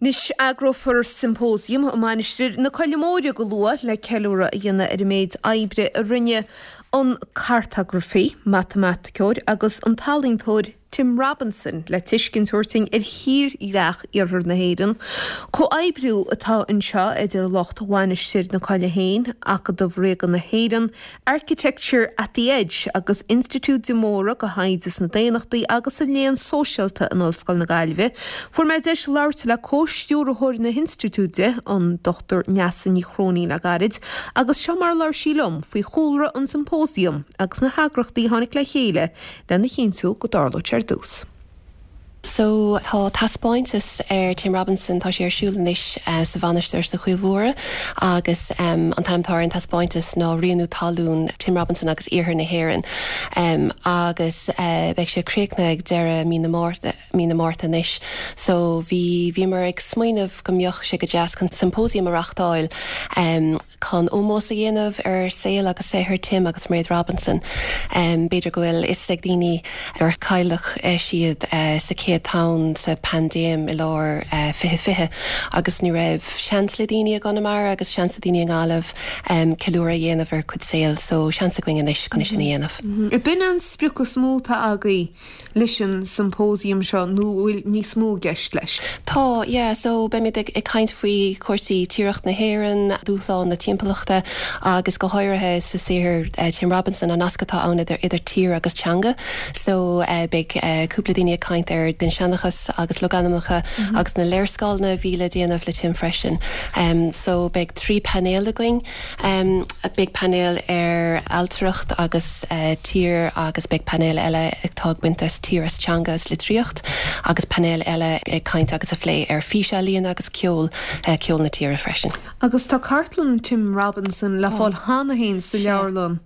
Anois eagrófar symposium i Mainistir na Coille Móire go luath le ceiliúradh a dhéanamh ar an méid oibre a rinne an cartagrafaí, matamaiticeoir agus an t-ealaíontóir Tim Robinson le tuiscint a thabhairt dúinn ar thírdhreach iarthar na hÉireann. Comhoibriú atá anseo idir lucht Mhainistir na Coille féin, Acadamh Ríoga na hÉireann, Architecture at the Edge agus Institiúid de Móra do Thaighde sna Daonnachtaí agus sa Léann Sóisialta in Ollscoil na Gaillimhe. Fuair mé deis labhairt le comh-stiúrthóir na hinstitiúide, an Dr Neasa Ní Chróinín le gairid, agus seo mar a labhair sí liom faoi chúlra an symposium agus na heagrachtaí a tháinig le chéile lena chinntiú go dtarlódh sé ar dtús. So tá taispeántas ar Tim Robinson, tá sé ar siúl anois sa Mhainistir sa Choill Mhór agus an t-ainm atá ar an taispeántas ná Rianú Talún, Tim Robinson agus Iarthar na hÉireann agus beidh sé críochnaithe ag deireadh mí na Márta, mí na Márta anois. So bhí, bhíomar ag smaoineamh go mbeadh sé go deas chun symposium a reachtáil chun ómós a dhéanamh ar saol agus saothar Tim agus Mairéad Robinson. B'fhéidir go bhfuil fhios ag daoine gur cailleadh siad sa chéad tonn sa paindéim i lár 2020 agus ní raibh seans le daoine i gConamara agus seans le daoine i nGaillimh ceiliúradh a dhéanamh ar a gcuid saoil so seans againn anois chun é sin a dhéanamh. B'in an sprioc is mó atá agaibh leis an symposium seo nó an bhfuil níos mó i gceist leis? Tá, yeah, so beimid ag caint faoi chúrsaí tírdhreach na hÉireann, dúshlán na timpeallachta agus go háirithe sa saothar Tim Robinson, an nasc atá ann idir idir tír agus teanga. So beidh cúpla daoine ag caint ar dinnseanchas agus logainmneacha agus na léarscáileanna a bhí le déanamh le Tim freisin. So beidh 3 painéal againn. Beidh painéal ar ailtireacht agus tír agus beidh painéal eile atá ag baint as tír as teanga is litríocht agus painéal eile ag caint agus a phlé ar físealaíona agus ceol, ceol na tíre freisin. Agus tá cartlann Tim Robinson le fáil cheana féin sa leabharlann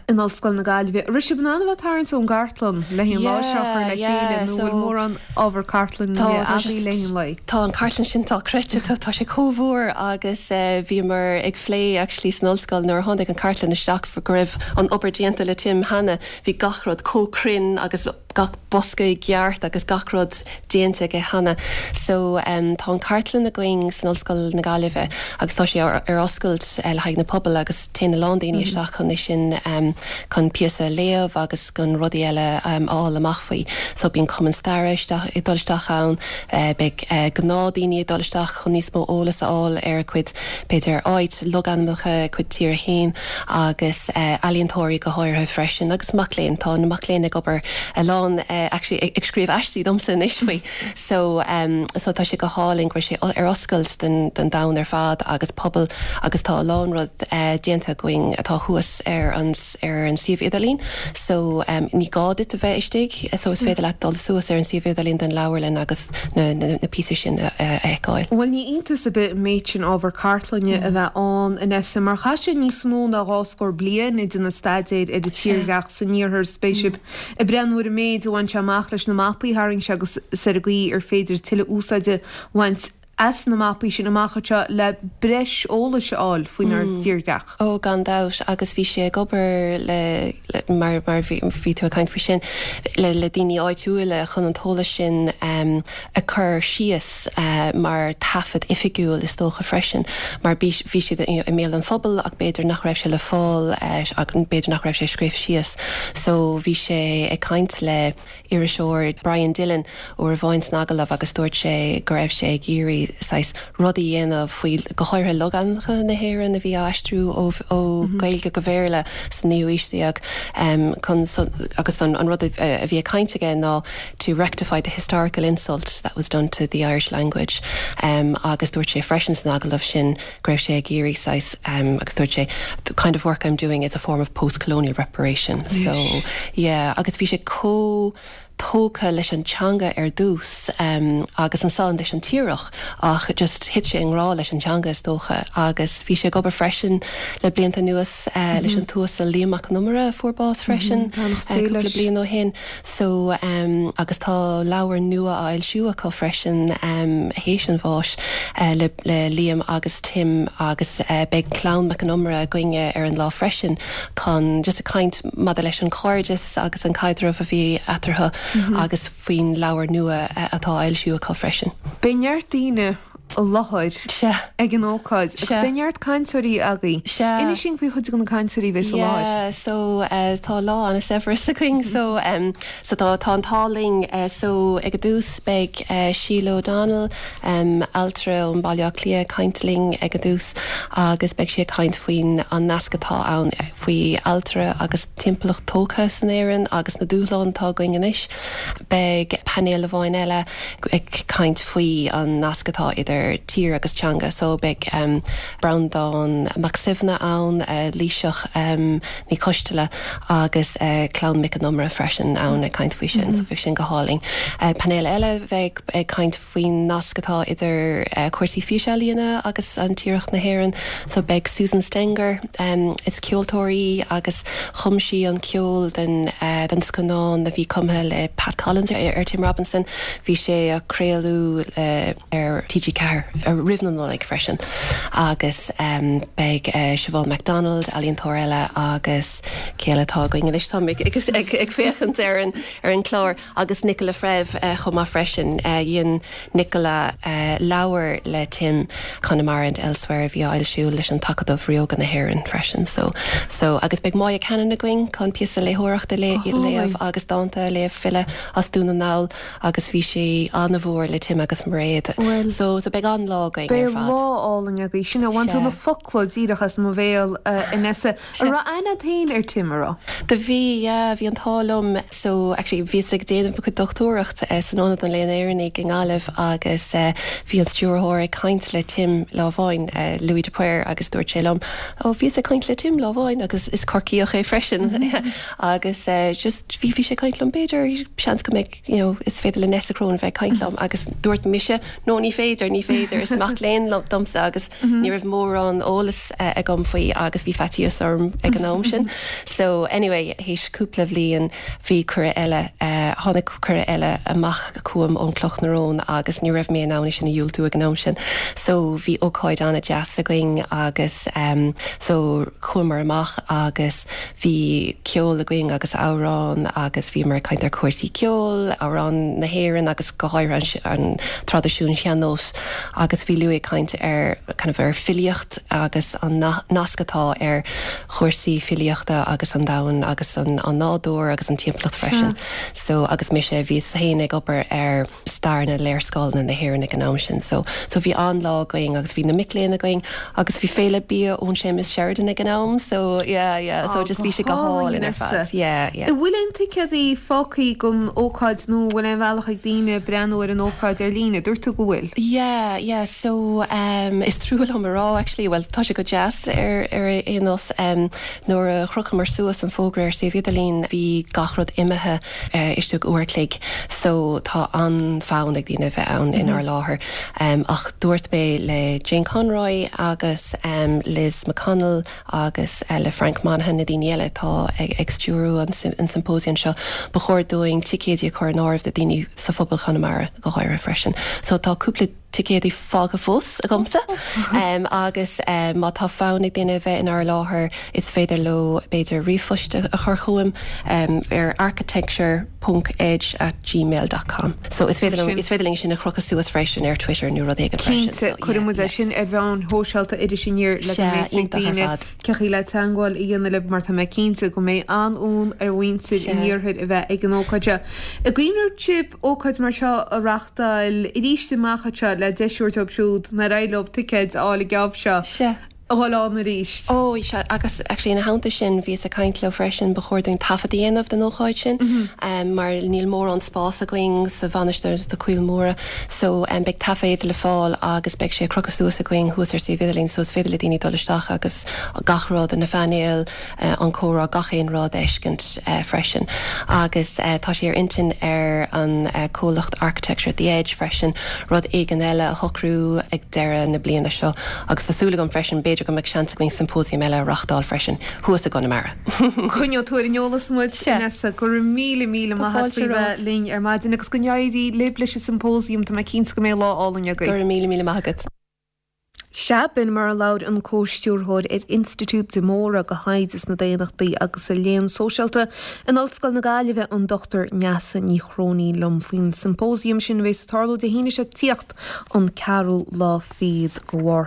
in Ollscoil na Gaillimhe. An raibh sibh in ann a bheith ag tarraingt ón gcartlann le haghaidh an lá seo a chur le chéile nó bhfuil mórán ábhar cartlainne agaibh le haghaidh an lae? Tá an cartlann sin dochreidte, tá sé chomh mhór agus bhíomar ag phlé actually san ollscoil nuair a tháinig an cartlann isteach go raibh an obair déanta le Tim cheana, bhí gach rud chomh cruinn agus gach bosca i gceart agus gach rud déanta aige cheana. So tá an cartlann againn san Ollscoil na Gaillimhe agus tá sé ar oscailt le haghaidh na pobail agus téann a lán daoine isteach chun é sin chun píosa a léamh agus chun rudaí eile a fháil amach faoi. So bíonn cumann staire isteach ag dul isteach ann, beidh gnáthdhaoine ag dul isteach chun níos mó eolas a fháil ar a cuid, b'fhéidir, áit, logainmneacha, a cuid tíre féin agus ealaíontóirí go háirithe freisin agus mac léinn. Tá na mac léinn ag obair a lán actually ag scríobh aistí domsa anois faoi. So so tá sé go hálainn go bhfuil sé ar oscailt don don domhan ar fad agus pobal agus tá a lán rud déanta againn atá thuas ar an ar an suíomh idirlín so ní gá duit a bheith istigh so is féidir leat dul suas ar an suíomh idirlín den leabharlann agus na na píosaí sin a fheiceáil. Bhuel ní iontas ar bith an méid sin ábhar cartlainne a bheith ann a Nessa mar chaith sé níos mó ná dhá scór bliain ag déanamh staidéir ar an tírdhreach san iarthar is beidh sibh ag breathnú ar an méid a bhain sé amach leis na mapaí a tharraing sé agus ar an gcaoi ar féidir tuilleadh úsáide a bhaint as na mapaí sin amach anseo le breis eolais a fháil faoinár dtírdhreach. Ó, gan dabht, agus bhí sé ag obair le, mar, mar bhí, bhí tú ag caint faoi sin, le, le daoine áitiúila chun an t-eolas sin a chur síos mar taifead oifigiúil is dócha freisin, mar bhí, bhí siad i mbéal an phobail ach b'fhéidir nach raibh sé le fáil, b'fhéidir nach raibh sé scríofa síos. So bhí sé ag caint le iriseoir Brian Dillon uair amháin san agallamh agus dúirt sé go raibh sé ag iarraidh saghas rud a dhéanamh faoi, go háirithe logainmneacha na hÉireann a bhí á aistriú ó ó Ghaeilge go Béarla sa naoú aois déag chun agus an rud a bhí ag caint aige ná to rectify the historical insult that was done to the Irish language agus dúirt sé freisin san agallamh sin go raibh sé ag iarraidh saghas agus dúirt sé the kind of work I'm doing is a form of post-colonial reparation so yeah agus bhí sé chomh tógtha leis an teanga ar dtús agus ansan leis an tírdhreach ach just thit sé i ngrá leis an teanga is dócha agus bhí sé ag obair freisin le blianta anuas leis an tUasal Liam Mac Con Iomaire a fuair bás freisin cúpla bliain ó shin. So, agus tá leabhar nua á fhoilsiú acu freisin théis an bháis le le Liam agus Tim agus beidh clann Mac Con Iomaire againne ar an lá freisin chun just ag caint maidir leis an chairdeas agus an caidreamh a bhí eatarthu. agus faoin leabhar nua atá á fhoilsiú acu freisin. Beidh neart daoine i láthair ag an ócáid agus beidh neart cainteoirí agaibh. Inis dúinn faoi chuid de na cainteoirí a bheas i láthair. Yeah, so tá lá an-saibhreas againn so so tá tá an t-ádh linn so ag an dtús beidh Sheila O'Donnell, ailtire ón Baile Átha Cliath ag caint linn ag an dtús agus beidh sí ag caint faoin an nasc atá ann faoi ailtire agus timpeallacht tógtha san Éirinn agus na dúshláin atá againn anois. Beidh painéal amháin eile ag caint faoi an nasc atá idir tír agus teanga so beidh Breandán Mac Suibhne ann, Laoighseach Ní Choisteala agus Clann Mhic an Iomaire freisin ann ag caint faoi sin so bheidh sin go hálainn. Painéal eile bheidh ag caint faoin nasc atá idir cúrsaí físealaíona agus an tírdhreach na hÉireann. So beidh Susan Stenger, is ceoltóir í agus chum sí an ceol den den scannán a bhí cumtha le Pat Collins ar Tim Robinson. Bhí sé á craoladh ar TG4 roimh na Nollaig freisin. Agus beidh Siobhán McDonald, ealaíontóir eile agus cé eile atá againn anois? Táim ag féachaint ar an ar an chlár. Agus Nicola Fréamh chomh maith freisin. Dhein Nicola leabhar le Tim, Connemara and Elsewhere, a bhí á fhoilsiú leis an tAcadamh Ríoga na hÉireann freisin. So, so, agus beidh Moya Cannon againn chun píosa léitheoireachta a léamh agus dánta a léamh, file as Dún na nGall agus bhí sí an-mhór le Tim agus Mairéad. So, so beidh an-lá againn ar fad. Beidh lá álainn agaibh. Sin é, bhain tú na focla díreach as mo bhéal, a Nessa. An raibh aithne agat féin ar Tim, an raibh? Do bhí, yeah, bhí an t-ádh liom. So, actually, bhíos ag déanamh mo chuid dochtúireacht san Ionad an Léann Éireannaigh i nGaillimh agus bhí an stiúrthóir ag caint le Tim lá amháin, Louis de Paor, agus dúirt sé liom, oh, bhíos ag caint le Tim lá amháin agus is Corcaíoch é freisin agus just bhí, bhí sé ag caint liom, b'fhéidir, seans go mbeidh, you know, is féidir le Nessa Cronin bheith ag caint liom agus dúirt mise, no, ní féidir, ní féidir, is mac léinn domsa agus Ní raibh mórán eolas agam faoi agus bhí faitíos orm ag an am sin. So anyway, théis cúpla bhliain bhí cuireadh eile, tháinig cuireadh eile amach chugam ón Cloch na Rón agus ní raibh mé in ann é sin a dhiúltú ag an am sin. So bhí ócáid an-deas againn agus so chuamar amach agus Bhí ceol againn agus amhráin agus bhíomar ag caint ar chúrsaí ceoil, amhráin na hÉireann agus go háirithe an traidisiún sean-nós agus bhí Louis ag caint ar kind of ar filíocht agus an nasc atá ar chúrsaí filíochta agus an domhan agus an nádúr agus an timpeallacht freisin. So agus mise bhíos féin ag obair ar stair na léarscáileanna na hÉireann ag an am sin. So, so bhí an-lá againn agus bhí na mic léinn againn agus bhí féile bia ón Séamus Sheridan ag an am so yeah, yeah, so just bhí sé go hálainn ar fad. Yeah, yeah. An bhfuil aon ticéadaí fágthaí don ócáid nó an bhfuil aon bhealach ag daoine breathnú ar an ócáid ar líne? Dúirt tú go bhfuil. Yeah, yeah, so um, is trua liom a rá actually, well tá sé go deas ar, ar aon nós um, nuair a chrochamar suas an fógra ar suíomh idirlín bhí gach rud imithe istigh uair a chloig so tá an-fhonn ag daoine a bheith ann inár láthair. Ach dúirt mé le Jane Conroy agus Liz McConnell agus le Frank Monaghan, na daoine eile atá ag stiúrú an symposium seo, ba chóir dúinn ticéidí a chur in áirithe do daoine sa phobal Chonamara go háirithe freisin. So tá cúpla ticéadaí fágtha fós agamsa agus má tá fonn ag duine a bheith inár láthair is féidir leo b'fhéidir ríomhphost a chur chugam ar architecture ponc edge at gmail dot com. So is féidir liom, is féidir linn sin a chrochadh suas freisin ar Twitter nó rud éigin freisin. Cinnte, cuirfidh muid é sin ar mheáin shóisialta Iris Aniar le go mbeidh ag daoine cén chaoi le teagmháil a dhéanamh libh mar tá mé cinnte go mbeidh an-fhonn ar mhuintir an iarthair a bheith ag an ócáid seo. An gcuimhneoidh sibh ócáid mar seo a reachtáil arís amach anseo le deis a thabhairt dóibh siúd nár éirigh leo ticéid a fháil an geábh seo Sea. a dhul ann arís? Ó, sea, agus actually ina theannta sin, bhíos ag caint leo freisin, ba chóir dúinn taifead a dhéanamh den ócáid sin, mar níl mórán spás againn sa Mhainistir sna Coillte Móra, so beidh taifead le fáil agus beidh sé crochta suas againn thuas ar suíomh idirlín, so is féidir le daoine dul isteach agus gach rud, na phainéil, an comhrá, gach aon rud a fheiscint freisin. Agus tá sé ar intinn ar an comhlacht Architecture at the Edge freisin rud éigin eile a shocrú ag deireadh na bliana seo agus tá súil agam freisin b'fhéidir go mbeidh seans againn symposium eile a reachtáil freisin thuas i gConamara. Coinneoidh tú ar an eolas muid, Nessa. Go raibh míle míle maith agat faoi bheith linn ar maidin agus go n-éirí libh leis an symposium, tá mé cinnte go mbeidh lá álainn agaibh. Go raibh míle míle maith agat. Sea, b'in mar a labhair an Comhstiúrthóir ar Institiúid de Móra do Thaighde sna Daonnachtaí agus sa Léann Sóisialta in Ollscoil na Gaillimhe, an Dr Neasa Ní Chróinín liom faoin symposium sin a bheas ag tarlú Dé hAoine seo ag tíocht, an ceathrú lá fichead de Mhárta.